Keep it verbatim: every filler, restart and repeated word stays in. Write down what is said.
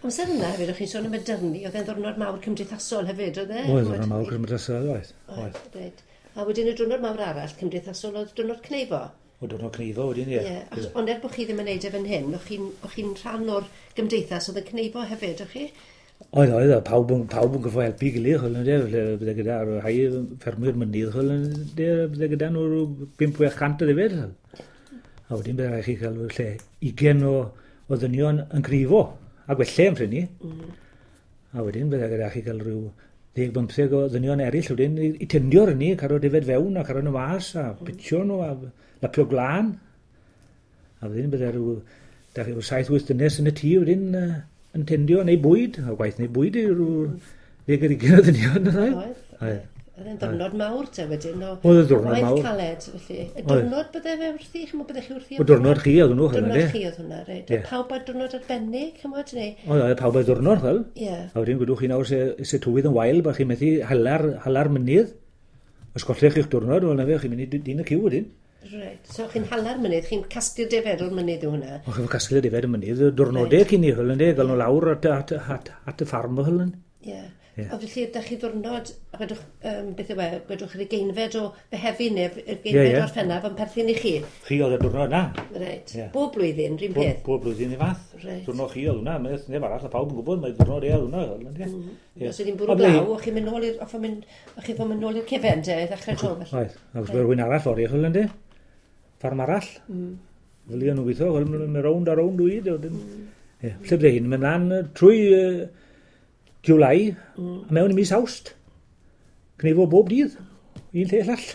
Amser yna hefyd, o'ch chi'n sôn am y dyrnu, oedd e'n ddiwrnod mawr cymdeithasol hefyd, oedd e? Oedd, ddiwrnod mawr cymdeithasol, oedd. Oedd, reit. A wedyn y diwrnod mawr arall cymdeithasol oedd diwrnod cneifo? O, diwrnod cneifo wedyn, ie. Ie, ond er bod chi ddim yn neud e fan hyn, o'ch chi'n chi rhan o'r gymdeithas oedd yn cneifo hefyd, o'ch chi? Oedd, oedd, pawb yn, pawb yn gyffo helpu gilydd, chwyl, ynde, bydde gyda rhai ffermwyr mynydd, chwyl, ynde, bydde gyda nhw bump chwech cant o ddefed. A wedyn bydde rhaid chi cael lle ugain o, o ddynion yn cneifo, a gwelle am prynu. Mm. A wedyn bydde gyda chi cael rhyw ddeg bymtheg o ddynion eraill wedyn i, i tendio'r hynny, cario defed fewn a cario nhw mas a pitio nhw a lapio glân. A wedyn bydde rhyw, da chi, saith wyth dynes yn y tŷ wedyn uh, yn tendio neu bwyd, a gwaith neu bwyd i rhyw ddeg ar ugain o ddynion. Oedd. Oedd. Oedd e'n ddiwrnod mawr te wedyn o Oedd y diwrnod mawr. Waith caled, felly. Y diwrnod bydde fe wrthi, ch'mod, byddech chi wrthi? O diwrnod chi oedd hwnnw, ch'mod. Diwrnod chi oedd hwnna, reit. Yeah. Pawb ar diwrnod arbennig, ch'mod, neu? Oedd, oedd pawb ar diwrnod, ch'mod. Ie. Yeah. A wedyn gwydwch chi nawr se, se tywydd yn wael, bod chi'n methu hala'r, hala'r mynydd. Os gollech chi'ch diwrnod, wel na fe, chi'n mynd i dyn y cyw wedyn. Reit. So chi'n hala'r mynydd, chi'n casglu'r defed o'r mynydd yw hwnna? O, chi'n casglu'r defed y mynydd, diwrnodau cyn i, ch'mod, gael nhw lawr at, at, at, at y ffarm, ch'mod. Ie. Yeah. A felly, ydych chi ddwrnod, gwedwch, um, beth yw e, gwedwch yr ugeinfed o Fehefin neu yr ugeinfed yeah, yeah. o'r Orffennaf yn perthyn i chi? Chi oedd y diwrnod na. Reit. Yeah. Bob blwyddyn, rhywun peth? Bob blwyddyn i fath. Reit. Diwrnod chi oedd hwnna, mae'n neb arall, a pawb yn gwybod, mae diwrnod e oedd hwnna. Mm. Yeah. Os ydy'n bwrw glaw, o'ch chi'n mynd nôl i'r, o'ch chi'n mynd nôl i'r cefen, te, i ddechrau tro. Oedd, ac os rhywun arall o'r eich, ynddi? Ffarm arall. Mm. Fel i o'n nhw'n gweithio, mae'n rownd a rownd wyd. Lle bydde hyn, mynd mlaen trwy July, mm. a mewn i mis Awst. Cneifo bob dydd, un lle llall.